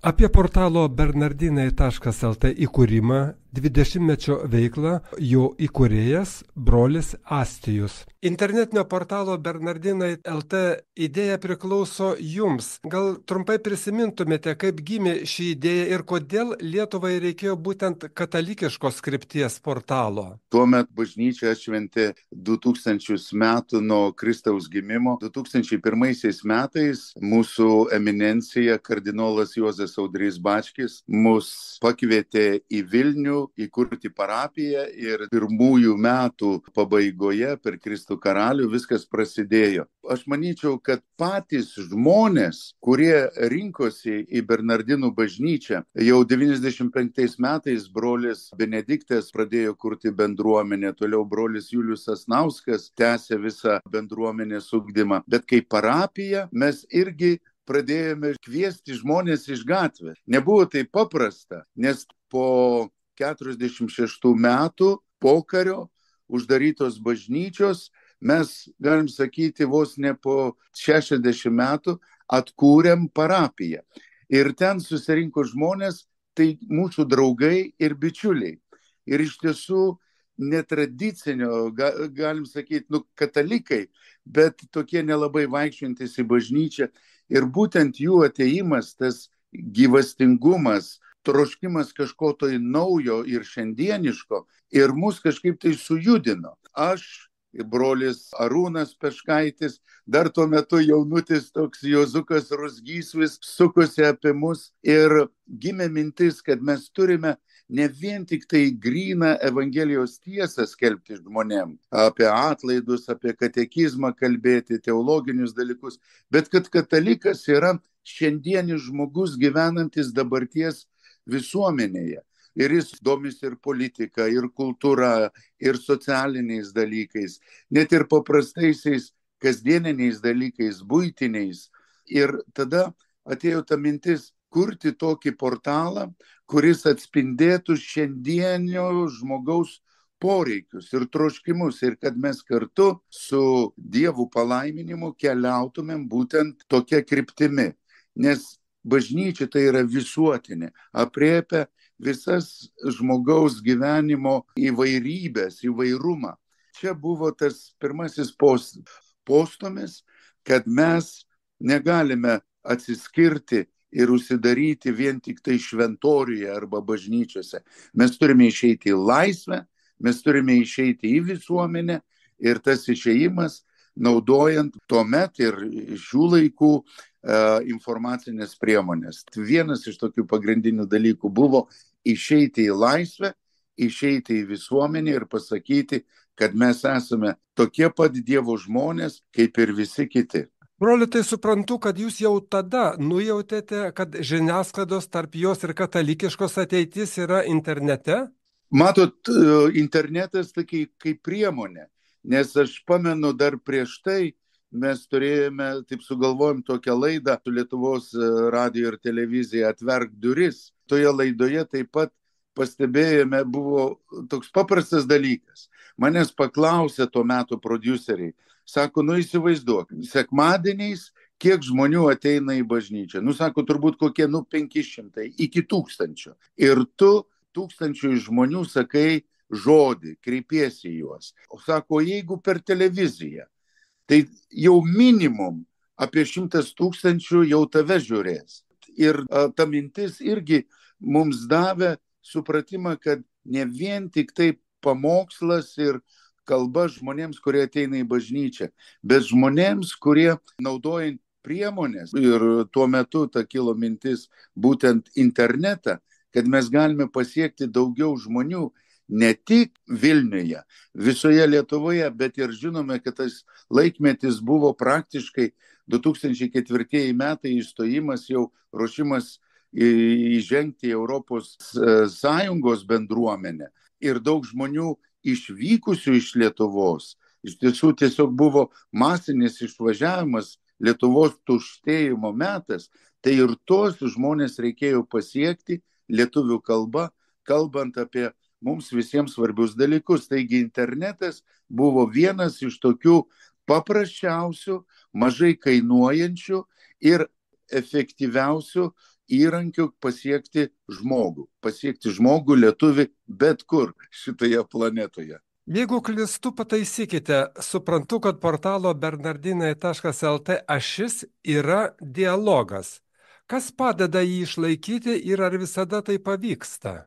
Apie portalo bernardinai.lt įkūrimą, 20-mečio veiklą jo įkūrėjas brolis Astijus. Internetinio portalo Bernardinai.lt idėja priklauso jums. Gal trumpai prisimintumėte, kaip gimė ši idėja ir kodėl Lietuvai reikėjo būtent katalikiškos krypties portalo? Tuomet bažnyčia atšventė 2000 metų nuo Kristaus gimimo. 2001 metais mūsų eminencija kardinolas Juozas Audrys Bačkis mus pakvietė į Vilnių įkurti parapiją ir pirmųjų metų pabaigoje per Kristų karalių viskas prasidėjo. Aš manyčiau, kad patys žmonės, kurie rinkosi į Bernardinų bažnyčią, jau 95 metais brolis Benediktas pradėjo kurti bendruomenę, toliau brolis Julius Sasnauskas tęsė visą bendruomenės ugdymą. Bet kaip parapija mes irgi pradėjome kviesti žmonės iš gatvės. Nebuvo tai paprasta, nes po 46 metų pokario uždarytos bažnyčios mes, galim sakyti, vos ne po 60 metų atkūrėm parapiją. Ir ten susirinko žmonės, tai mūsų draugai ir bičiuliai. Ir iš tiesų netradicinio, galim sakyti, katalikai, bet tokie nelabai vaikščiantys į bažnyčią. Ir būtent jų atėjimas, tas gyvastingumas, troškimas kažko tai naujo ir šiandieniško ir mus kažkaip tai sujudino. Aš, brolis Arūnas Peškaitis, dar tuo metu jaunutis toks Jozukas Ruzgysvis sukosi apie mus ir gimė mintis, kad mes turime ne vien tik tai gryną Evangelijos tiesą skelbti žmonėm, apie atlaidus, apie katekizmą kalbėti, teologinius dalykus, bet kad katalikas yra šiandienis žmogus gyvenantis dabarties visuomenėje. Ir jis domisi ir politika, ir kultūra, ir socialiniais dalykais, net ir paprastaisiais kasdieniniais dalykais, buitiniais. Ir tada atėjo ta mintis kurti tokį portalą, kuris atspindėtų šiandienio žmogaus poreikius ir troškimus ir kad mes kartu su Dievo palaiminimu keliautumėm būtent tokia kryptimi. Nes bažnyčia tai yra visuotinė, aprėpia visas žmogaus gyvenimo įvairybės, įvairumą. Čia buvo tas pirmasis postūmis, kad mes negalime atsiskirti ir užsidaryti vien tik tai šventoriuje arba bažnyčiose. Mes turime išeiti į laisvę, mes turime išeiti į visuomenę ir tas išėjimas, naudojant tuomet ir šių laikų informacinės priemonės. Vienas iš tokių pagrindinių dalykų buvo išeiti į laisvę, išeiti į visuomenę ir pasakyti, kad mes esame tokie pat Dievo žmonės, kaip ir visi kiti. Broli, tai suprantu, kad jūs jau tada nujautėte, kad žiniasklaidos tarp jos ir katalikiškos ateitis yra internete? Matot, internetas tai kaip priemonė, nes aš pamenu dar prieš tai mes turėjome, taip sugalvojom tokią laidą su Lietuvos radijo ir televizija Atverk duris. Toje laidoje taip pat pastebėjome, buvo toks paprastas dalykas. Manęs paklausė tuo metu prodiuseriai. Sako, įsivaizduok, sekmadieniais kiek žmonių ateina į bažnyčią. Sako, turbūt kokie 500 iki 1000. Ir tu 1000 žmonių sakai žodį, kreipiesi į juos. O sako, jeigu per televiziją, tai jau minimum apie 100 000 jau tave žiūrės. Ir ta mintis irgi mums davė supratimą, kad ne vien tik tai pamokslas ir kalba žmonėms, kurie ateina į bažnyčią, bet žmonėms, kurie naudojant priemonės. Ir tuo metu ta kilo mintis būtent internetą, kad mes galime pasiekti daugiau žmonių, ne tik Vilniuje, visoje Lietuvoje, bet ir žinome, kad tas laikmetis buvo praktiškai 2004 metai įstojimas, jau ruošimas įžengti į Europos Sąjungos bendruomenę. Ir daug žmonių išvykusių iš Lietuvos. Iš tiesų tiesiog buvo masinis išvažiavimas, Lietuvos tuštėjimo metas. Tai ir tos žmonės reikėjo pasiekti lietuvių kalba, kalbant apie mums visiems svarbius dalykus. Taigi internetas buvo vienas iš tokių paprasčiausių, mažai kainuojančių ir efektyviausių įrankiu pasiekti žmogų lietuvį bet kur šitoje planetoje. Jeigu klystu, pataisykite. Suprantu, kad portalo bernardinai.lt ašis yra dialogas. Kas padeda jį išlaikyti ir ar visada tai pavyksta?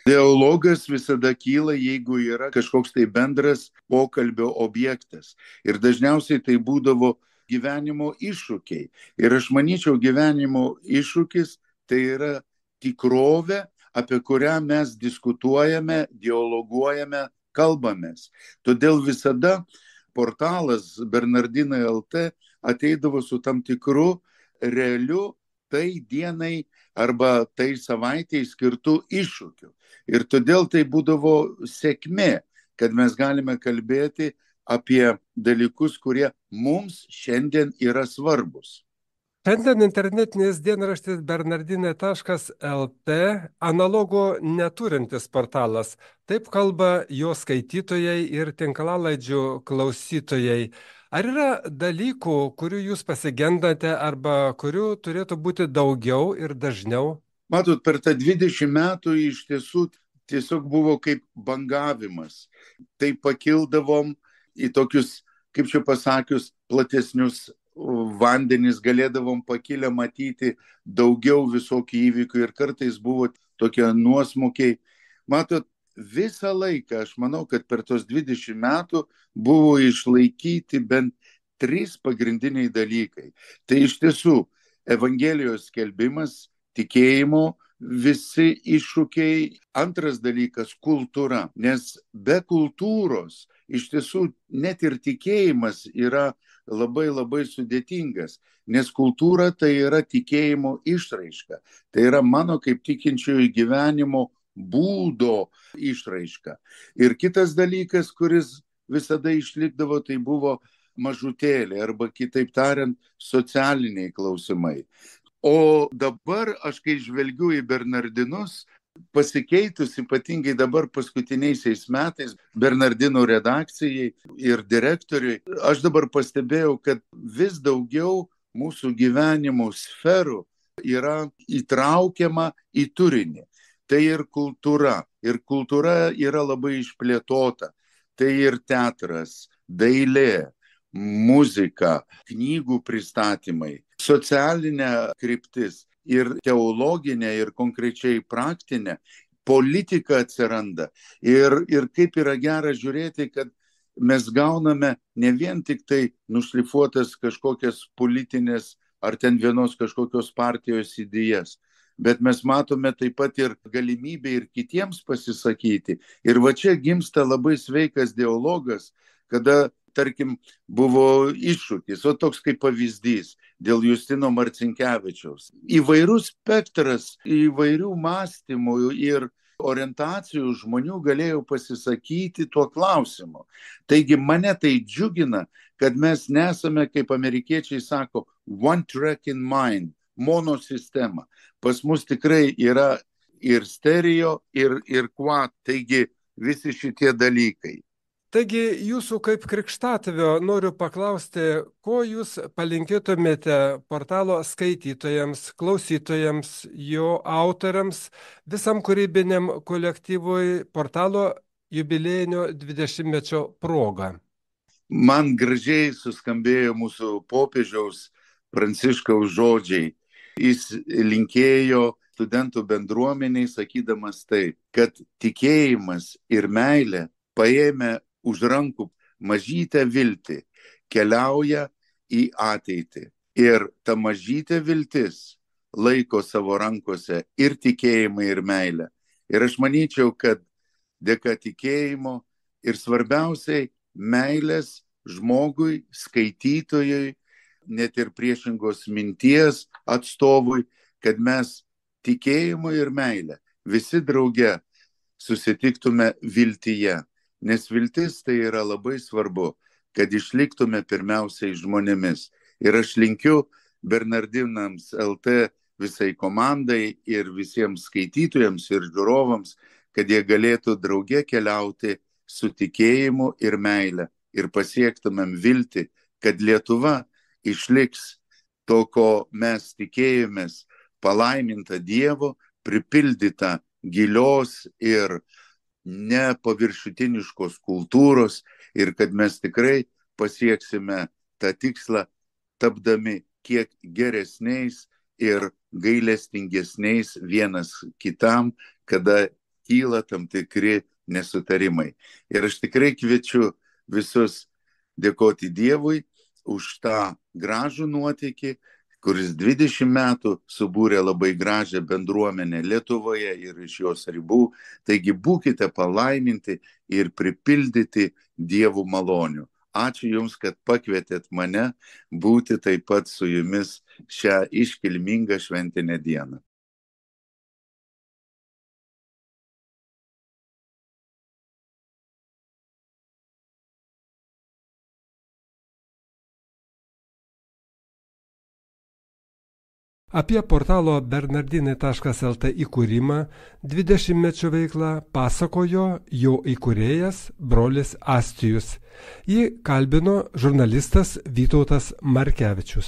Dialogas visada kyla, jeigu yra kažkoks tai bendras pokalbio objektas. Ir dažniausiai tai būdavo gyvenimo iššūkiai. Ir aš manyčiau, gyvenimo iššūkis tai yra tikrovė, apie kurią mes diskutuojame, dialoguojame, kalbamės. Todėl visada portalas Bernardinai LT ateidavo su tam tikru realiu tai dienai arba tai savaitėj skirtų iššūkių. Ir todėl tai būdavo sėkmė, kad mes galime kalbėti apie dalykus, kurie mums šiandien yra svarbus. Šiandien internetinis dienraštis bernardinai.lt analogo neturintis portalas. Taip kalba jo skaitytojai ir tinklalaidžių klausytojai. Ar yra dalykų, kurių jūs pasigendate arba kurių turėtų būti daugiau ir dažniau? Matot, per tą 20 metų iš tiesų tiesiog buvo kaip bangavimas. Tai pakildavom į tokius, kaip čia pasakius, platesnius vandenis, galėdavom pakilę matyti daugiau visokių įvykių ir kartais buvo tokie nuosmukiai. Matot, visą laiką aš manau, kad per tos 20 metų buvo išlaikyti bent 3 pagrindiniai dalykai. Tai iš tiesų Evangelijos skelbimas, tikėjimo visi iššūkiai. Antras dalykas - kultūra. Nes be kultūros iš tiesų net ir tikėjimas yra labai labai sudėtingas. Nes kultūra tai yra tikėjimo išraiška. Tai yra mano kaip tikinčiojo gyvenimo būdo išraiška. Ir kitas dalykas, kuris visada išlikdavo, tai buvo mažutėlė arba kitaip tariant socialiniai klausimai. O dabar aš kai žvelgiu į Bernardinus, pasikeitus ypatingai dabar paskutiniaisiais metais Bernardinų redakcijai ir direktoriui, aš dabar pastebėjau, kad vis daugiau mūsų gyvenimo sferų yra įtraukiama į turinį. Tai ir kultūra. Ir kultūra yra labai išplėtota. Tai ir teatras, dailė, muzika, knygų pristatymai, socialinė kryptis ir teologinė ir konkrečiai praktinė, politika atsiranda. Ir kaip yra gera žiūrėti, kad mes gauname ne vien tik tai nušlifuotas kažkokias politinės ar ten vienos kažkokios partijos idėjas, bet mes matome taip pat ir galimybę ir kitiems pasisakyti. Ir va čia gimsta labai sveikas dialogas, kada, tarkim, buvo iššūkis, o toks kaip pavyzdys dėl Justino Marcinkevičiaus. Įvairus spektras, įvairių mąstymų ir orientacijų žmonių galėjo pasisakyti tuo klausimu. Taigi mane tai džiugina, kad mes nesame, kaip amerikiečiai sako, one track in mind, monosistema. Pas mus tikrai yra ir stereo, ir quad, taigi visi šitie dalykai. Taigi jūsų kaip krikštatėvio noriu paklausti, ko jūs palinkėtumėte portalo skaitytojams, klausytojams, jo autoriams, visam kūrybiniam kolektyvui portalo jubiliejinio 20-mečio proga. Man gražiai suskambėjo mūsų popiežiaus Pranciškaus žodžiai. Jis linkėjo studentų bendruomeniai, sakydamas tai, kad tikėjimas ir meilė paėmė už rankų mažytę viltį, keliauja į ateitį. Ir ta mažytė viltis laiko savo rankose ir tikėjimą, ir meilę. Ir aš manyčiau, kad dėka tikėjimo ir svarbiausiai meilės žmogui, skaitytojui, net ir priešingos minties atstovui, kad mes tikėjimu ir meilę visi drauge susitiktume viltyje. Nes viltis tai yra labai svarbu, kad išliktume pirmiausiai žmonėmis. Ir aš linkiu Bernardinams LT visai komandai ir visiems skaitytojams ir žiūrovams, kad jie galėtų drauge keliauti su tikėjimu ir meile ir pasiektumėm viltį, kad Lietuva išliks to, ko mes tikėjomės, palaiminta Dievo, pripildyta gilios ir nepaviršutiniškos kultūros ir kad mes tikrai pasieksime tą tikslą, tapdami kiek geresniais ir gailestingesniais vienas kitam, kada kyla tam tikri nesutarimai. Ir aš tikrai kviečiu visus dėkoti Dievui už tą gražų nuotykį, kuris 20 metų subūrė labai gražią bendruomenę Lietuvoje ir iš jos ribų. Taigi būkite palaiminti ir pripildyti Dievų malonių. Ačiū Jums, kad pakvietėt mane būti taip pat su Jumis šią iškilmingą šventinę dieną. Apie portalo bernardinai.lt įkūrimą, 20-mečio veiklą pasakojo jo įkūrėjas brolis Astijus. Jį kalbino žurnalistas Vytautas Markevičius.